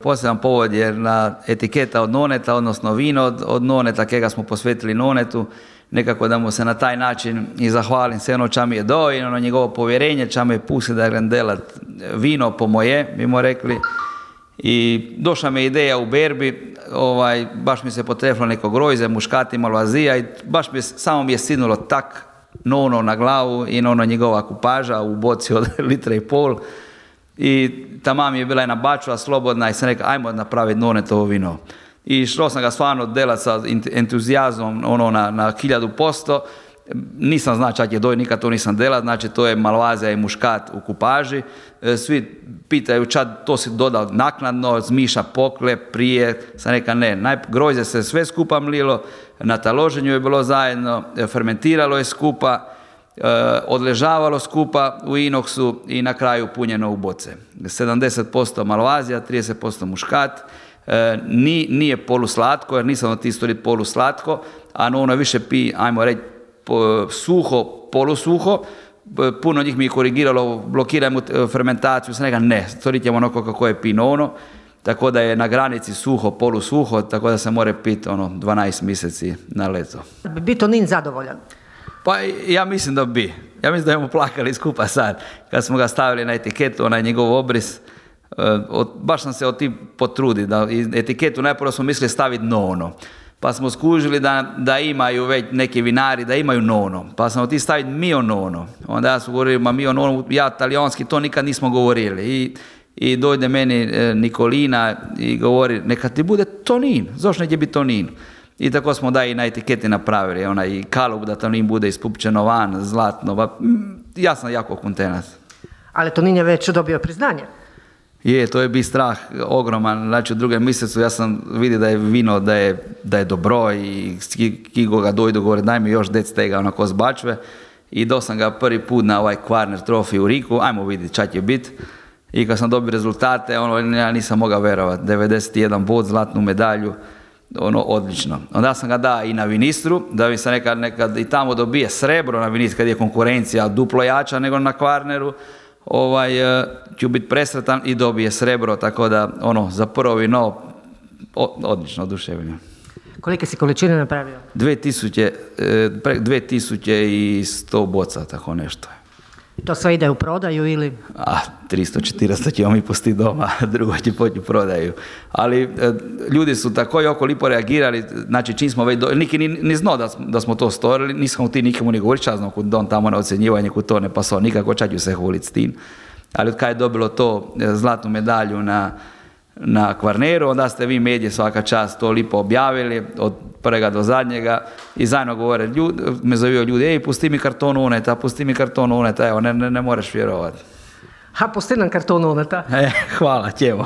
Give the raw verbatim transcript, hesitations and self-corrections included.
Poseban povod je na etiketa od noneta, odnosno vino od, od noneta, kega smo posvetili nonetu, nekako da mu se na taj način i zahvalim se ono ča mi je do i ono njegovo povjerenje, ča me pusti da grem delat vino po moje, bimo rekli. I došla mi ideja u berbi, ovaj, baš mi se potrefilo neko grojze, muškati, malo azija i baš mi, samo mi je sidnulo tak nono na glavu i ono njegova kupaža u boci od litra i pol. I ta mama je bila jedna bačva slobodna i sam rekao, ajmo napraviti nonetovo vino. I šlo sam ga stvarno delat sa entuzijazmom ono, na, na hiljadu posto. Nisam znao čak je doj, nikad to nisam delat, znači to je malvazija i muškat u kupaži. Svi pitaju čad to si dodao naknadno, zmiša pokle, prije, sam rekao ne, naj, grožđe se sve skupa mlilo, na taloženju je bilo zajedno, fermentiralo je skupa, odležavalo skupa u inoksu i na kraju punjeno u boce. sedamdeset posto malvazija, trideset posto muškat, Ni, nije poluslatko, jer nisam od tih stvoriti poluslatko, a ono više pi, ajmo reći, suho, polusuho. Puno njih mi je korigiralo, blokirajmo fermentaciju, sam rekao ne, stvorit ćemo ono kako je pino ono, tako da je na granici suho, polusuho, tako da se more piti ono dvanaest mjeseci na leto. Bi Tonin zadovoljan? Pa ja mislim da bi. Ja mislim da smo plakali skupa sad, kad smo ga stavili na etiketu, onaj njegov obris. Od, baš sam se od ti potrudi, da etiketu najprvo smo mislili staviti nono, pa smo skužili da, da imaju već neki vinari, da imaju nono, pa sam od ti staviti mio nono, onda ja su govorili, ma mio nono, ja talijanski to nikad nismo govorili i, i dojde meni e, Nikolina i govori, neka ti bude Tonin, zašto neće biti Tonin? I tako smo da i na etiketi napravili, onaj kalup da Tonin bude ispupčeno van, zlatno, ba, ja sam jako kontenat. Ali Tonin je već dobio priznanje. Je, to je bi strah ogroman, znači u drugom mjesecu ja sam vidio da je vino, da je, da je dobro i kigo ga dojdu, govore daj mi još dec tega onako zbačve i do sam ga prvi put na ovaj Kvarner Trophy u Riku, ajmo vidjeti čak je bit i kad sam dobio rezultate, ono, ja nisam mogao verovati, devedeset jedan bod, zlatnu medalju, ono, odlično. Onda sam ga dao i na Vinistru, da bi se nekad, nekad i tamo dobije srebro na Vinistru, kad je konkurencija duplo jača nego na Kvarneru, ovaj, ću biti presretan i dobije srebro, tako da ono, za prvo vino odlično, oduševljeno. Kolike si količine napravio? dvije tisuće sto boca, tako nešto. To sve ide u prodaju ili? A, tristo četiristo ćemo mi pustiti doma, drugo će poći u prodaju. Ali e, ljudi su tako jako lipo reagirali, znači čim smo već, do... niki ni, ni znao da, da smo to stvorili, nisam u ti nikomu ni govoriti, časno kud on tamo na ocjenjivanje, kud to ne pasao nikako, čak ću se hulit s tim. Ali od kada je dobilo to zlatnu medalju na, na Kvarneru, onda ste vi medije svaka čast to lipo objavili, od prvega do zadnjega i zajedno govore, ljud, me zovio ljudi, ej, pusti mi karton uneta, pusti mi karton uneta, evo, ne, ne, ne moreš vjerovati. Ha, pusti nam karton uneta. E, hvala, ćemo.